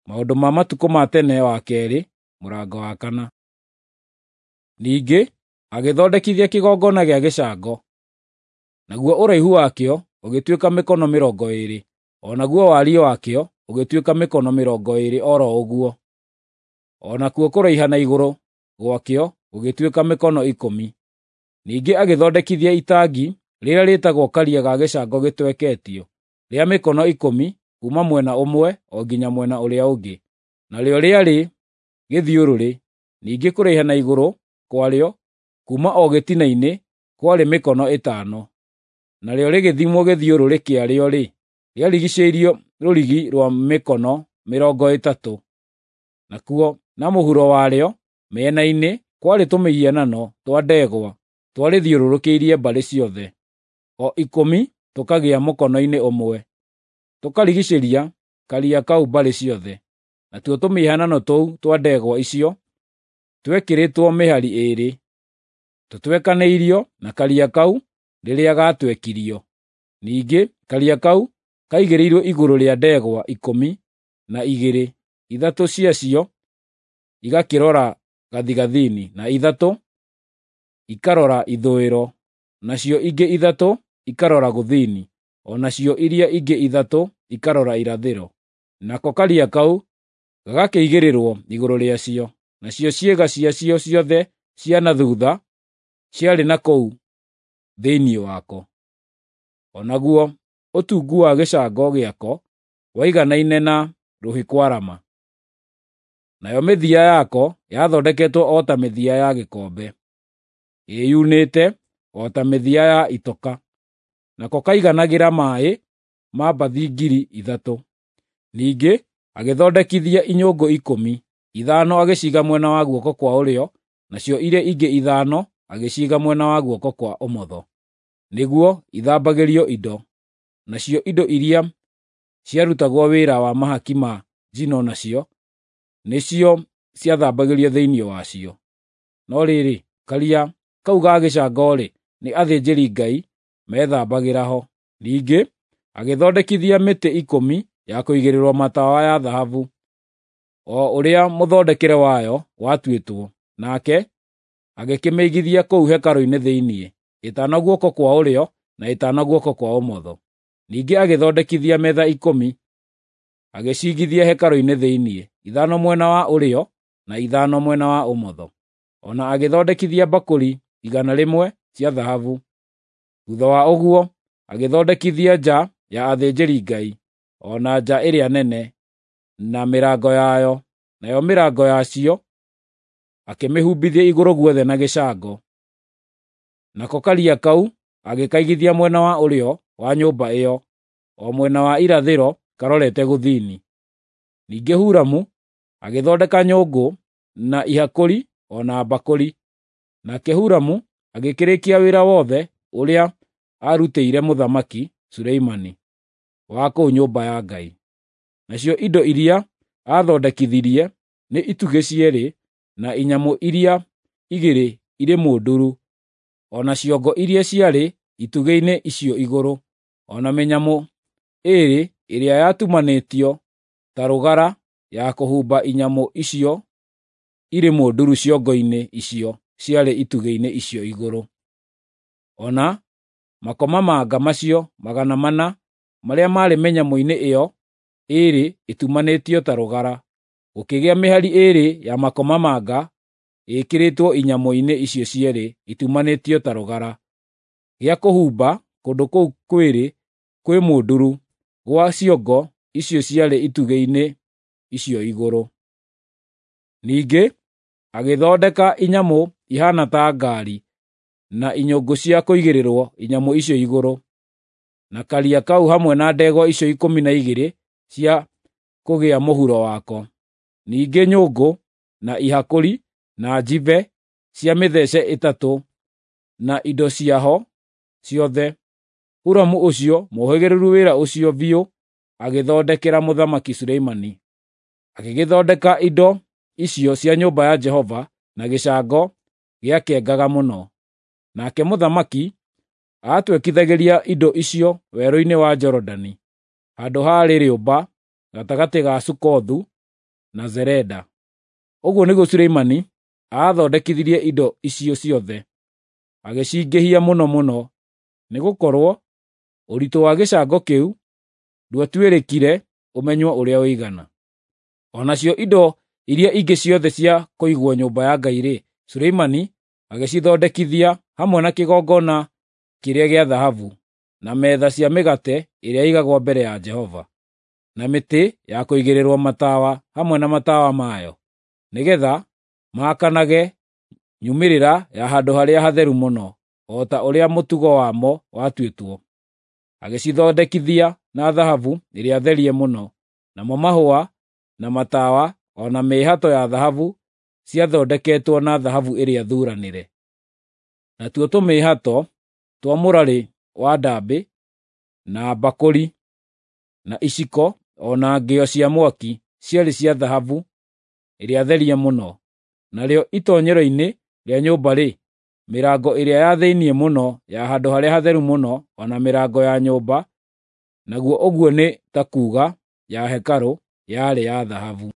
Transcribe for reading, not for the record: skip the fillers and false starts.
Maũndũ ma matukũ ma tene wa kerĩ mũrango wa 4. Ningĩ agĩthondekithia kĩgongona gĩa gĩcango, naguo ũraihu wakĩo ũgĩtuĩka mĩkono 20, o naguo wariĩ wakĩo ũgĩtuĩka mĩkono 20 o ro ũguo, o nakuo kũraiha na igũrũ gwakĩo gũgĩtuĩka mĩkono 10. Ningĩ agĩthondekithia itangi rĩrĩa rĩĩtagwo Karia ga gĩcango gĩtweketio, rĩa mĩkono 10 kuuma mwena ũmwe o nginya mwena ũrĩa ũngĩ, narĩo rĩarĩ gĩthiũrũrĩ. Ningĩ kũraiha na igũrũ kwarĩo kuuma o gĩtina-inĩ kwarĩ mĩkono 5, narĩo rĩgĩthimwo gĩthiũrũrĩ kĩarĩo-rĩ, rĩarigiicĩirio rũrigi rwa mĩkono 30. Nakuo na mũhuro warĩo mĩena-inĩ kwarĩ tũmĩhianano twa ndegwa twarĩthiũrũrũkĩirie mbarĩ ciothe, o 10 tũkagĩa mũkono-inĩ ũmwe, tũkarigiicĩria Karia kau mbarĩ ciothe. Natuo tũmĩhianano tũu twa ndegwa icio twekĩrĩtwo mĩhari 2, tũtwekanĩirio na Karia kau rĩrĩa gaatwekirio. Ningĩ Karia kau kaigĩrĩirwo igũrũ rĩa ndegwa 12, 3 ciacio igakĩrora gathigathini, na 3 ikarora ithũĩro, nacio ingĩ 3 ikarora gũthini, o nacio iria ingĩ 3 ikarora irathĩro. Nako Karia kau gagakĩigĩrĩrwo igũrũ rĩacio, nacio ciĩga ciacio ciothe cia na thuutha ciarĩ na kũu thĩinĩ wako. O naguo ũtungu wa gĩcango gĩako waiganaine na rũhĩ kwarama. Nayo mĩthia yako yathondeketwo o ta mĩthia ya gĩkombe, ĩyunĩte o ta mĩthia ya itoka. Nako kaiganagĩra maaĩ ma mbathi 3,000. Ningĩ agĩthondekithia inyũngũ 10, 5 agĩciiga mwena wa guoko kwa ũrĩo, nacio iria ingĩ 5 agĩciiga mwena wa guoko kwa ũmotho, nĩguo ithambagĩrio indo. Nacio indo iria ciarutagwo wĩra wa mahaki ma njino nacio nĩcio ciathambagĩrio thĩinĩ wacio. No rĩrĩ, Karia kau ga gĩcango-rĩ, nĩ athĩnjĩri-Ngai meethambagĩra ho. Ningĩ agĩthondekithia mĩtĩ 10 ya kũigĩrĩrwo matawa ya thahabu, o ũrĩa mũthondekere wayo watuĩtwo, nake agĩkĩmĩigithia kũu hekarũ-inĩ thĩinĩ, 5 guoko kwa ũrĩo na 5 guoko kwa ũmotho. Ningĩ agĩthondekithia metha 10, agĩciigithia hekarũ-inĩ thĩinĩ, 5 mwena wa ũrĩo na 5 mwena wa ũmotho. O na agĩthondekithia mbakũri 100 cia thahabu. Thuutha wa ũguo agĩthondekithia nja ya athĩnjĩri-Ngai, o na nja ĩrĩa nene, na mĩrango yayo, nayo mĩrango yacio akĩmĩhumbithia igũrũ guothe na gĩcango. Nako Karia kau agĩkaigithia mwena wa ũrĩo wa nyũmba ĩyo, o mwena wa irathĩro karorete gũthini. Ningĩ Huramu agĩthondeka nyũngũ na ihakũri o na mbakũri. Nake Huramu agĩkĩrĩkia wĩra wothe ũrĩa aarutĩire Mũthamaki Suleimani wa kũu nyũmba ya Ngai. Nacio indo iria aathondekithirie nĩ itugĩ cierĩ na inyamũ iria 2 irĩ mũnduru, o na ciongo iria ciarĩ itugĩ-inĩ icio igũrũ, o na mĩnyamũ 2 ĩrĩa yatumanĩtio ta rũgara ya kũhumba inyamũ icio irĩ mũnduru ciongo-inĩ icio ciarĩ itugĩ-inĩ icio igũrũ. O na makomamanga macio 400 marĩa maarĩ mĩnyamũ-inĩ ĩyo 2 ĩtumanĩtio ta rũgara, gũkĩgĩa mĩhari 2 ya makomamanga ĩĩkĩrĩtwo inyamũ-inĩ icio cierĩ itumanĩtio ta rũgara, gĩa kũhumba kũndũ kũu kwĩrĩ kwĩ mũnduru gwa ciongo icio ciarĩ itugĩ-inĩ icio igũrũ. Ningĩ agĩthondeka inyamũ ihaana ta ngaari na inyũngũ cia kũigĩrĩrwo inyamũ icio igũrũ, na Karia kau hamwe na ndegwa icio 12 cia kũgĩa mũhuro wako. Ningĩ nyũngũ na ihakũri na njibe cia mĩthece 3 na indo ciaho ciothe. Huramu ũcio mũũhĩgĩrĩru wĩra ũcio biũ agĩthondekera Mũthamaki Suleimani. Agĩgĩthondeka indo icio cia nyũmba ya Jehova na gĩcango gĩakengaga mũno. Nake mũthamaki aatwekithagĩria indo icio werũ-inĩ wa Jorodani, handũ haarĩ rĩũmba gatagatĩ ga Sukothu na Zereda. Ũguo nĩguo Suleimani aathondekithirie indo icio ciothe, agĩcingĩhia mũno mũno, nĩgũkorwo ũritũ wa gĩcango kĩu ndwatuĩrĩkire ũmenywo ũrĩa ũigana. O nacio indo iria ingĩ ciothe cia kũigwo nyũmba ya Ngai-rĩ, Suleimani agĩcithondekithia hamwe na kĩgongona kĩrĩa gĩa thahabu, na metha cia mĩgate ĩrĩa ĩigagwo mbere ya Jehova, na mĩtĩ ya kũigĩrĩrwo matawa hamwe na matawa mayo, nĩgeetha maakanage nyumĩrĩra ya Handũ-harĩa-Hatheru-Mũno, o ta ũrĩa mũtugo wamo watuĩtwo. Agĩcithondekithia na thahabu ĩrĩa therie mũno, namo mahũa, na matawa o na mĩĩhato ya thahabu ciathondeketwo na thahabu ĩrĩa thuranĩre. Natuo tũmĩĩhato twa mũrarĩ wa ndaambĩ, na mbakũri, na iciko o na ngĩo cia mwaki ciarĩ cia thahabu ĩrĩa therie mũno. Narĩo itoonyero-inĩ rĩa nyũmba-rĩ, mĩrango ĩrĩa ya thĩinĩ mũno ya Handũ-harĩa-Hatheru-Mũno o na mĩrango ya nyũmba, naguo ũguo nĩ ta kuuga ya hekarũ, yarĩ ya thahabu.